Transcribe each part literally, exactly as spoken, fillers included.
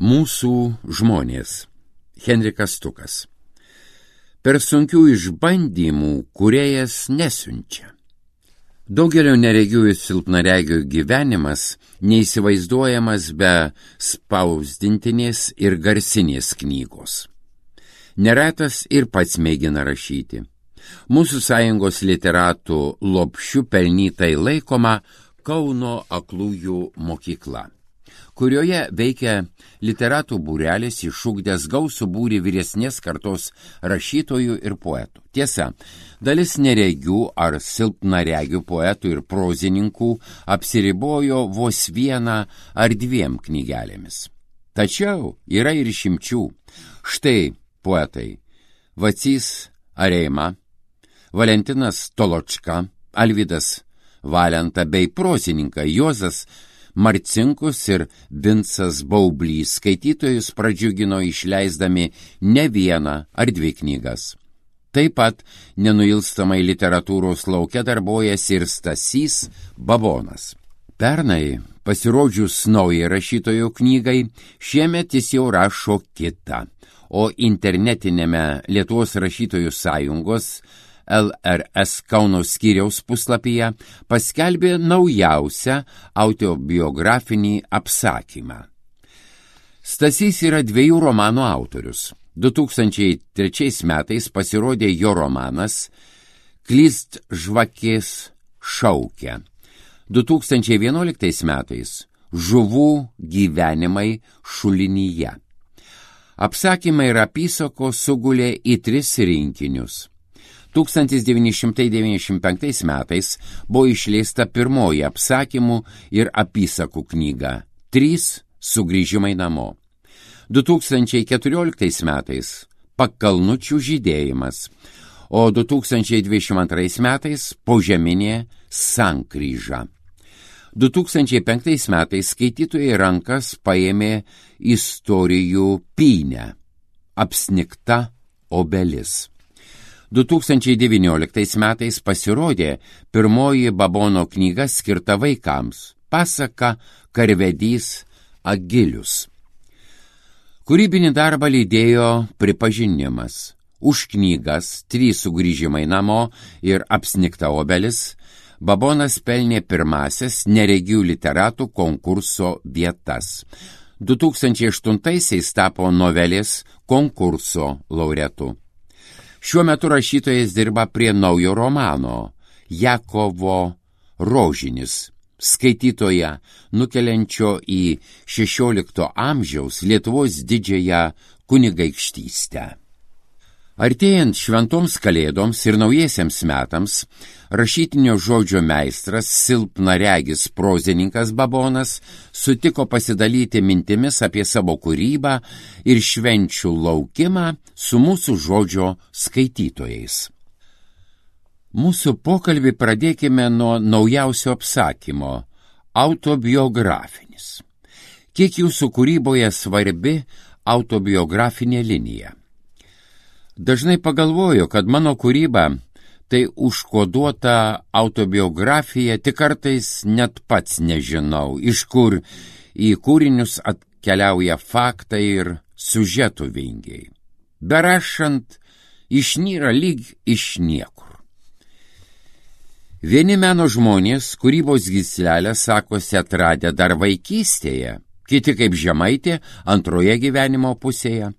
Mūsų žmonės. Henrikas Stukas. Per sunkių išbandymų kūrėjas nesiunčia. Daugelio neregių ir silpnaregių gyvenimas neįsivaizduojamas be spausdintinės ir garsinės knygos. Neretas ir pats mėgina rašyti. Mūsų sąjungos literatų lopšiu pelnytai laikoma Kauno aklųjų mokykla, kurioje veikia literatų būrelis išugdęs gausų būrį vyresnės kartos rašytojų ir poetų. Tiesa, dalis neregių ar silpnaregių poetų ir prozininkų apsiribojo vos vieną ar dviem knygelėmis. Tačiau yra ir išimčių. Štai poetai Vacys Areima, Valentinas Toločka, Alvydas Valenta bei prozininkai Juozas Marcinkus ir Vincas Baublys skaitytojus pradžiugino išleisdami ne vieną ar dvi knygas. Taip pat nenuilstamai literatūros lauke darbojasi ir Stasys Babonas. Pernai, pasirodžius naujai rašytojo knygai, šiemet jis jau rašo kitą, o internetinėme Lietuvos rašytojų sąjungos L R S Kauno skyriaus puslapyje paskelbė naujausią autobiografinį apsakymą. Stasys yra dviejų romanų autorius. du tūkstančiai trečiais metais pasirodė jo romanas Klyst žvakės šaukia. du tūkstančiai vienuoliktais metais Žuvų gyvenimai šulinyje. Apsakymai ir apysakos sugulė į tris rinkinius. tūkstantis devyni šimtai devyniasdešimt penktais metais buvo išleista pirmoji apsakymų ir apysakų knyga Trys sugrįžimai namo. du tūkstančiai keturioliktais metais Pakalnučių žydėjimas, o du tūkstančiai dvidešimt antrais metais Požeminė sankryža. du tūkstančiai penktais metais skaitytojai rankas paėmė Istorijų pynę, Apsnigta obelis. du tūkstančiai devynioliktais metais pasirodė pirmoji Babono knyga skirta vaikams – pasaka Karvedys Agilius. Kūrybinį darbą lydėjo pripažinimas. Už knygas Trys sugrįžimai namo ir Apsnigta obelis Babonas pelnė pirmasias neregių literatų konkurso vietas. du tūkstančiai aštuntaisiais tapo novelės konkurso laureatu. Šiuo metu rašytojas dirba prie naujo romano Jakovo Rožinis, skaitytoją nukeliančio į šešiolikto amžiaus Lietuvos didžiąją kunigaikštystę. Artėjant šventoms kalėdoms ir naujiesiems metams, rašytinio žodžio meistras, silpnaregis prozininkas Babonas sutiko pasidalyti mintimis apie savo kūrybą ir švenčių laukimą su mūsų žodžio skaitytojais. Mūsų pokalbį pradėkime nuo naujausio apsakymo – autobiografinis. Kiek jūsų kūryboje svarbi autobiografinė linija? Dažnai pagalvoju, kad mano kūryba tai užkoduota autobiografija, tik kartais net pats nežinau, iš kur į kūrinius atkeliauja faktai ir siužetų vingiai. Berašant, išnyra lyg iš niekur. Vieni meno žmonės kūrybos gyslelę sakosi atradę dar vaikystėje, kiti kaip žemaitė antroje gyvenimo pusėje.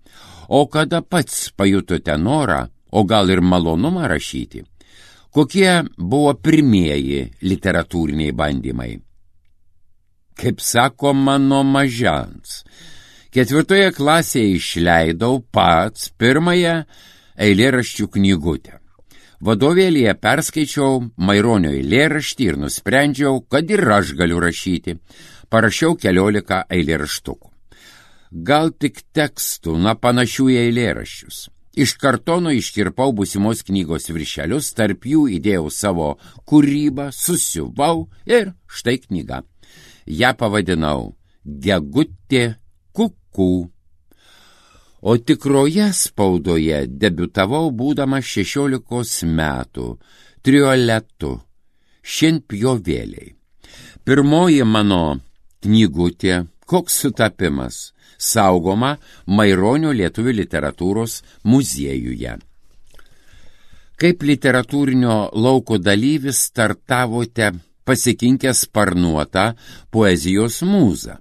O kada pats pajutote norą, o gal ir malonumą rašyti? Kokie buvo pirmieji literatūriniai bandymai? Kaip sako mano mažens, ketvirtoje klasėje išleidau pats pirmąją eilėraščių knygutę. Vadovėlyje perskaičiau Maironio eilėraštį ir nusprendžiau, kad ir aš galiu rašyti. Parašiau keliolika eilėraštukų. Gal tik tekstų, na panašių į eilėraščius. Iš kartono iškirpau būsimos knygos viršelius, tarp jų įdėjau savo kūrybą, susiuvau ir štai knyga. Ja pavadinau Gegutė kukų. O tikroje spaudoje debiutavau būdamas šešiolikos metų, trioletu, šienpjovėliai. Pirmoji mano knygutė, koks sutapimas, saugoma Maironio lietuvių literatūros muziejuje. Kaip literatūrinio lauko dalyvis startavote pasikinkę sparnuotą poezijos mūzą?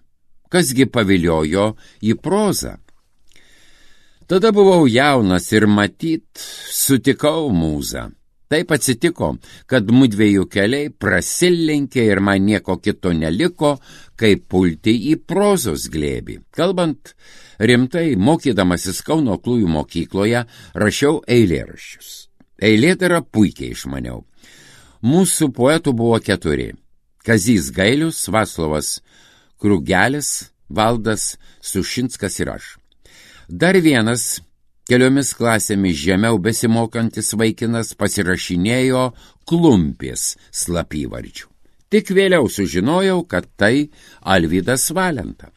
Kasgi paviliojo į prozą? Tada buvau jaunas ir matyt sutikau mūzą. Taip atsitiko, kad mudviejų keliai prasilenkė ir man nieko kito neliko, kaip pulti į prozos glėbį. Kalbant rimtai, mokydamasis Kauno aklųjų mokykloje, rašiau eilėraščius. Eilėdarą puikiai išmaniau. Mūsų poetų buvo keturi. Kazys Gailius, Vaclovas Krugelis, Valdas Sušinskas ir aš. Dar vienas, keliomis klasėmis žemiau besimokantis vaikinas, pasirašinėjo Klumpės slapyvardžiu. Tik vėliau sužinojau, kad tai Alvydas Valenta.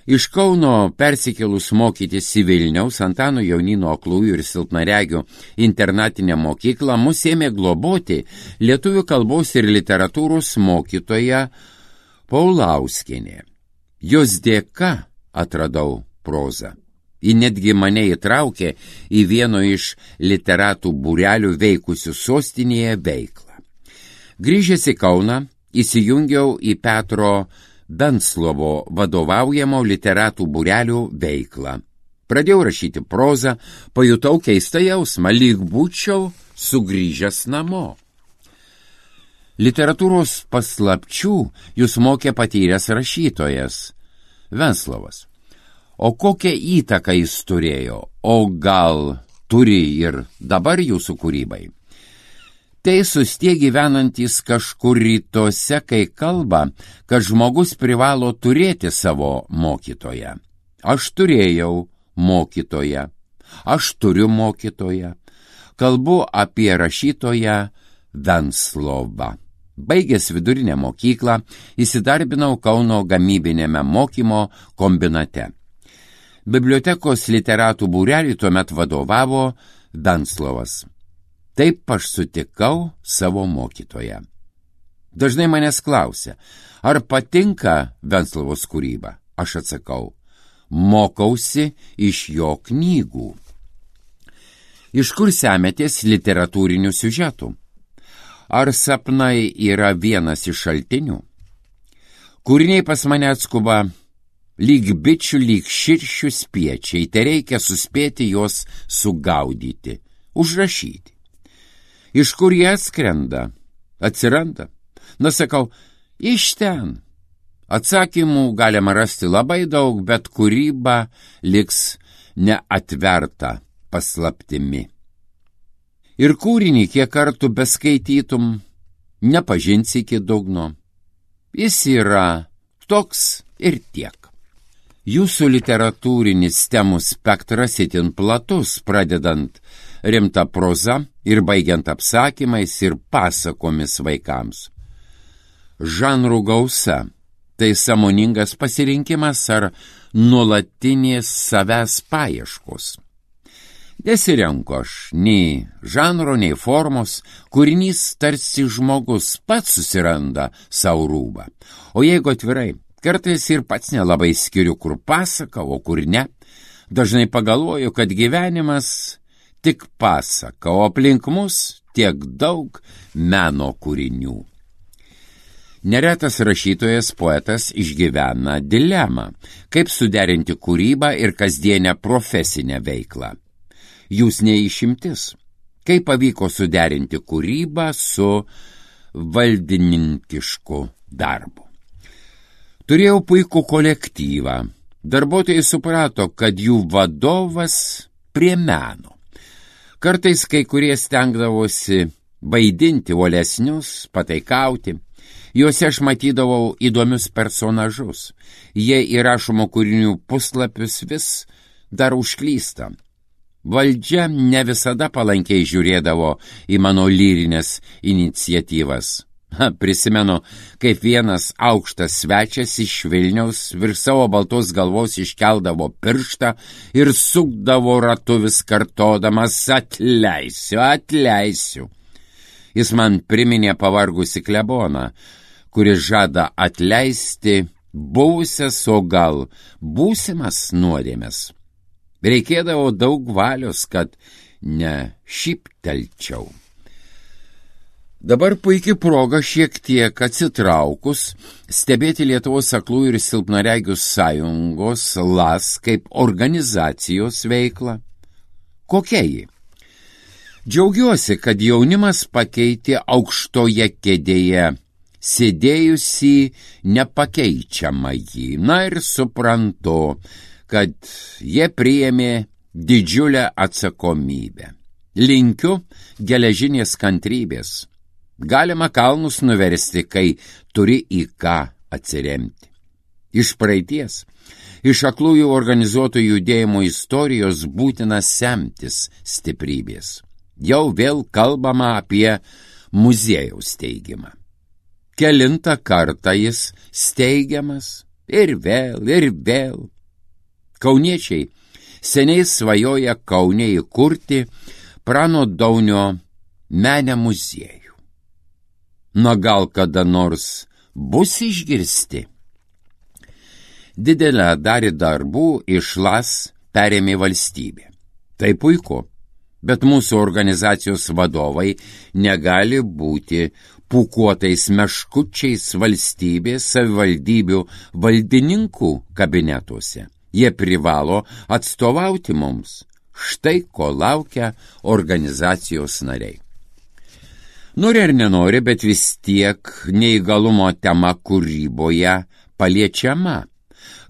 Iš Kauno persikėlus mokytis į Vilniaus Antano Jaunino aklųjų ir silpnaregių internatinę mokyklą mus ėmė globoti lietuvių kalbos ir literatūros mokytoja Paulauskienė. Jos dėka atradau prozą. Ji netgi mane įtraukė į vieno iš literatų būrelių veikusių sostinėje veiklą. Grįžęs į Kauną, įsijungiau į Petro Benslovo vadovaujamo literatų būrelių veiklą. Pradėjau rašyti prozą, pajutau keistą jausmą, lyg būčiau sugrįžęs namo. Literatūros paslapčių jūs mokė patyręs rašytojas Venslovas. O kokią įtaką jis turėjo, o gal turi ir dabar jūsų kūrybai? Teisūs tie gyvenantys kažkur rytuose, kai kalba, kad žmogus privalo turėti savo mokytoją. Aš turėjau mokytoją, aš turiu mokytoją. Kalbu apie rašytoją Venslovą. Baigęs vidurinę mokyklą, įsidarbinau Kauno gamybinėme mokymo kombinate. Bibliotekos literatų būrelį tuomet vadovavo Venslovas. Taip aš sutikau savo mokytoją. Dažnai manęs klausia, ar patinka Venslovos kūryba? Aš atsakau, mokausi iš jo knygų. Iš kur semiatės literatūrinių siužetų? Ar sapnai yra vienas iš šaltinių? Kūriniai pas mane atskuba lyg bičių, lyg širšių spiečiai, tai reikia suspėti juos sugaudyti, užrašyti. Iš kur jie atskrenda? Atsiranda? Na, sakau, iš ten. Atsakymų galima rasti labai daug, bet kūryba liks neatverta paslaptimi. Ir kūrinį, kiek kartų beskaitytum, nepažinsi iki dugno. Jis yra toks ir tiek. Jūsų literatūrinis temų spektras itin platus, pradedant rimta proza ir baigiant apsakymais ir pasakomis vaikams. Žanrų gausa – tai sąmoningas pasirinkimas ar nuolatinės savęs paieškos. Nesirenku aš nei žanro, nei formos, kūrinys tarsi žmogus pats susiranda savo rūbą. O jeigu atvirai, kartais ir pats nelabai skiriu, kur pasaka, o kur ne. Dažnai pagalvoju, kad gyvenimas tik pasaka, o aplink mus tiek daug meno kūrinių. Neretas rašytojas poetas išgyvena dilemą, kaip suderinti kūrybą ir kasdienę profesinę veiklą. Jūs neišimtis. Kaip pavyko suderinti kūrybą su valdininkišku darbu? Turėjau puikų kolektyvą. Darbuotojai suprato, kad jų vadovas prie meno. Kartais kai kurie stengdavosi vaidinti uolesnius, pataikauti. Juose aš matydavau įdomius personažus. Jie įrašomo kūrinių puslapius vis dar užklysta. Valdžia ne visada palankiai žiūrėdavo į mano lyrinės iniciatyvas. Ha, prisimenu, kaip vienas aukštas svečias iš Vilniaus virš savo baltos galvos iškeldavo pirštą ir sukdavo ratu vis kartodamas atleisiu, atleisiu. Jis man priminė pavargusi kleboną, kuris žada atleisti buvusias, o gal būsimas nuodėmes. Reikėdavo daug valios, kad ne šyptelčiau. Dabar puikiai proga šiek tiek atsitraukus stebėti Lietuvos aklųjų ir silpnaregių sąjungos L A S kaip organizacijos veiklą. Kokia ji? Džiaugiuosi, kad jaunimas pakeitė aukštoje kėdėje sėdėjusį nepakeičiamą jį. Na ir suprantu, kad jie priėmė didžiulę atsakomybę. Linkiu geležinės kantrybės. Galima kalnus nuversti, kai turi į ką atsiremti. Iš praeities, iš aklųjų organizuotų judėjimo istorijos būtina semtis stiprybės. Jau vėl kalbama apie muziejaus steigimą. Kelintą kartą jis steigiamas ir vėl, ir vėl. Kauniečiai seniai svajoja Kaune įkurti Prano Daunio menę muziejų. Na gal kada nors bus išgirsti? Didelę dalį darbų iš L A S perėmė valstybė. Tai puiku, bet mūsų organizacijos vadovai negali būti pūkuotais meškučiais valstybės savivaldybių valdininkų kabinetuose. Jie privalo atstovauti mums. Štai ko laukia organizacijos nariai. Nori ar nenori, bet vis tiek neįgalumo tema kūryboje paliečiama.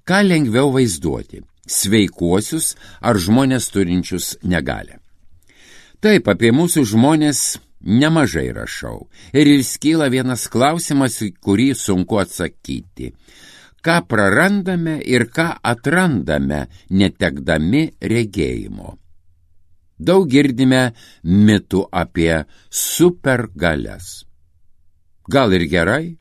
Ką lengviau vaizduoti – sveikuosius ar žmonės turinčius negalią. Taip, apie mūsų žmonės nemažai rašau. Ir iškyla vienas klausimas, į kurį sunku atsakyti. Ką prarandame ir ką atrandame, netekdami regėjimo? Daug girdime mitų apie supergalias. Gal ir gerai?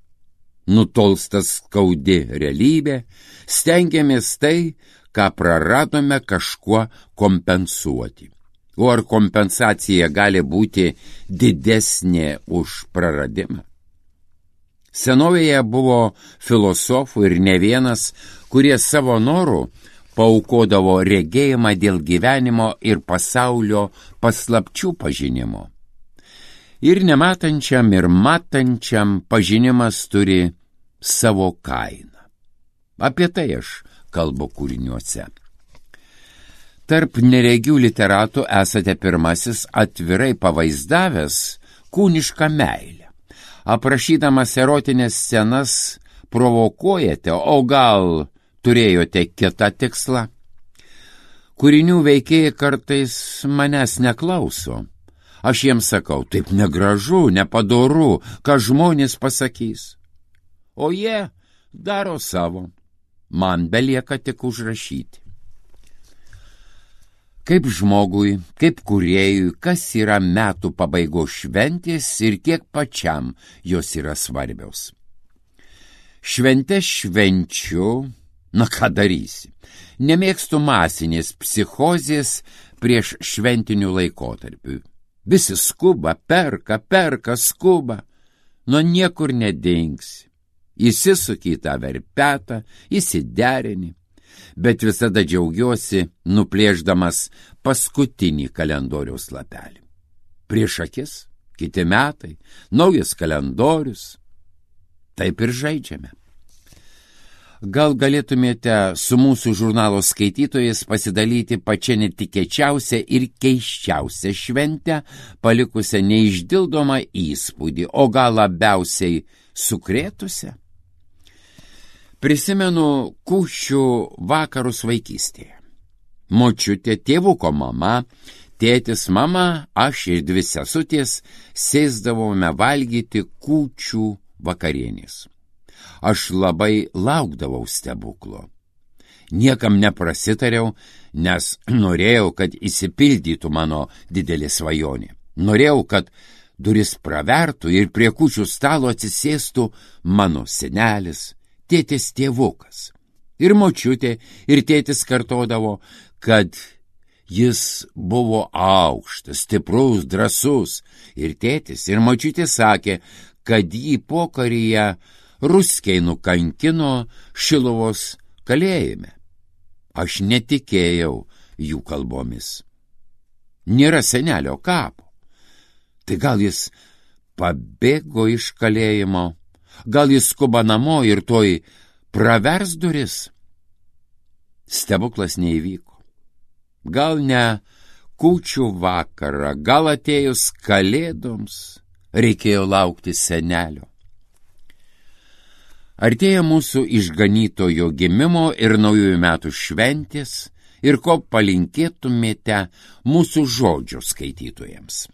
Nutolsta skaudi realybė, stengiamės tai, ką praradome, kažkuo kompensuoti. O ar kompensacija gali būti didesnė už praradimą? Senovėje buvo filosofų ir ne vienas, kurie savo norų paaukodavo regėjimą dėl gyvenimo ir pasaulio paslapčių pažinimo. Ir nematančiam, ir matančiam pažinimas turi savo kainą. Apie tai aš kalbu kūriniuose. Tarp neregių literatų esate pirmasis atvirai pavaizdavęs kūnišką meilę. Aprašydamas erotinės scenas provokuojate, o gal turėjote kitą tikslą? Kūrinių veikėjai kartais manęs neklauso. Aš jiems sakau, taip negražu, nepadoru, ką žmonės pasakys. O jie daro savo. Man belieka tik užrašyti. Kaip žmogui, kaip kūrėjui, kas yra metų pabaigos šventės ir kiek pačiam jos yra svarbios. Šventę švenčiu, na ką darysi. Nemėgstu masinės psichozės prieš šventinių laikotarpių. Visi skuba, perka, perka, skuba. Nuo niekur nedingsi. Įsisuki į tą verpetą, įsiderini. Bet visada džiaugiuosi, nuplėšdamas paskutinį kalendoriaus lapelį. Prieš akis, kiti metai, naujas kalendorius. Taip ir žaidžiame. Gal galėtumėte su mūsų žurnalo skaitytojais pasidalyti pačią netikėčiausią ir keisčiausią šventę, palikusią neišdildomą įspūdį, o gal labiausiai sukrėtusią? Prisimenu kūčių vakarus vaikystėje. Močiutė, tėvuko mama, tėtis, mama, aš ir dvi sesutės sėsdavome valgyti kūčių vakarienės. Aš labai laukdavau stebuklo. Niekam neprasitariau, nes norėjau, kad išsipildytų mano didelė svajonė. Norėjau, kad duris pravertų ir prie kūčių stalo atsisėstų mano senelis, tėtis tėvukas. Ir močiutė, ir tėtis kartodavo, kad jis buvo aukštas, stiprus, drąsus. Ir tėtis, ir močiutė sakė, kad jį pokaryje ruskiai nukankino Šiluvos kalėjime. Aš netikėjau jų kalbomis. Nėra senelio kapo. Tai gal jis pabėgo iš kalėjimo, gal jis skuba namo ir toj pravers duris? Stebuklas neįvyko. Gal ne kūčių vakarą, gal atėjus kalėdoms reikėjo laukti senelio. Artėja mūsų išganytojo gimimo ir naujųjų metų šventės, ir ko palinkėtumėte mūsų žodžių skaitytojams.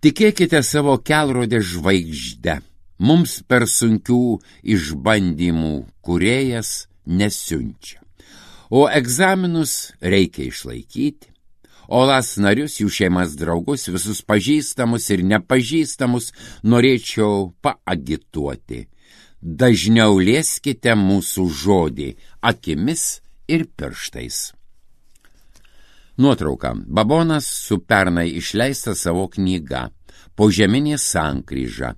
Tikėkite savo kelrodė žvaigždę, mums per sunkių išbandymų kūrėjas nesiunčia, o egzaminus reikia išlaikyti, o las narius, jų šeimas draugus, visus pažįstamus ir nepažįstamus norėčiau paagituoti. Dažniau lieskite mūsų žodį akimis ir pirštais. Nuotrauka. Babonas su pernai išleista savo knyga Požeminė sankryža.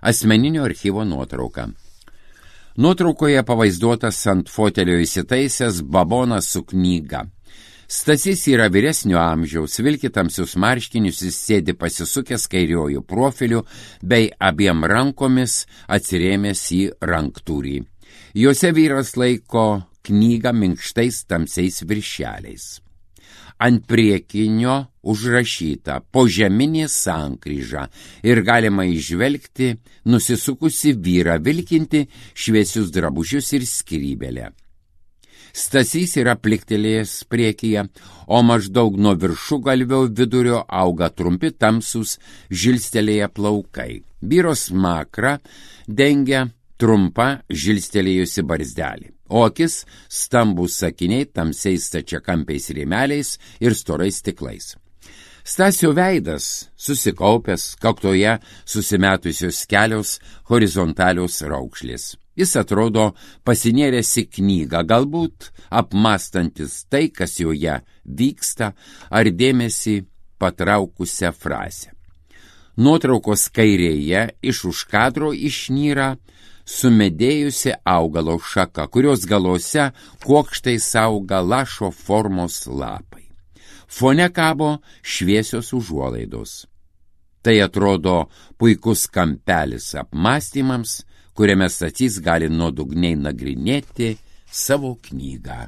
Asmeninio archyvo nuotrauka. Nuotraukoje pavaizduotas ant fotelio įsitaisęs Babonas su knyga. Stasys yra vyresnio amžiaus, vilki tamsius marškinius, jis sėdi pasisukęs kairiojų profiliu bei abiem rankomis atsirėmęs į ranktūrį. Juose vyras laiko knygą minkštais tamsiais viršeliais. Ant priekinio užrašyta Požeminė sankryža ir galima įžvelgti nusisukusi vyrą vilkinti šviesius drabužius ir skrybelę. Stasys yra pliktelėjęs priekyje, o maždaug nuo viršugalvio vidurio auga trumpi tamsūs žilstelėję plaukai. Vyro smakrą dengia trumpa žilstelėjusi barzdelė, o akis stambūs sakiniai tamsiais stačiakampiais rėmeliais ir storais stiklais. Stasio veidas susikaupęs, kaktoje susimetusios kelios horizontalios raukšlės. Jis atrodo pasinėręs į knygą, galbūt apmastantis tai, kas joje vyksta, ar dėmesį patraukusią frazę. Nuotraukos kairėje iš už kadro išnyra sumedėjusi augalo šaka, kurios galuose kuokštais auga lašo formos lapai. Fone kabo šviesios užuolaidos. Tai atrodo puikus kampelis apmąstymams, kuriame Stasys gali nuodugniai nagrinėti savo knygą.